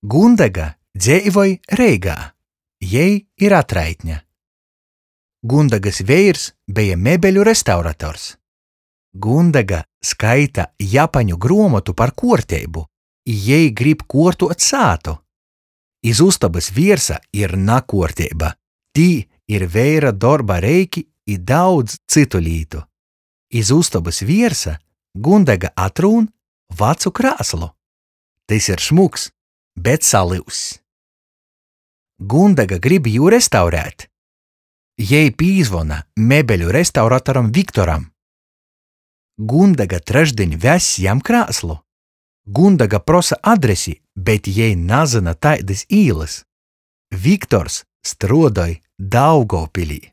Gundega dzeivoj Reigā. Jei ir atraitne. Gundegys veirs beja mebeļu restaurators. Gundega skaita japaņu gruomotu par kuorteibu, i jei grib kuortuot sātu. Iz ustobys viersa ir nakuorteiba, tī ir veira dorba reiki i daudz cytu lītu. Iz ustobys viersa Gundega atrūn vacu krāslu. Tys ir šmuks, bet salyuzs. Gundega grib jū restaurēt. Jei pīzvona mebeļu restauratoram Viktoram. Gundega trešdiņ vess jam krāslu. Gundega prosa adresi, bet jei nazyna taidys īlys. Viktors struodoj Daugovpilī.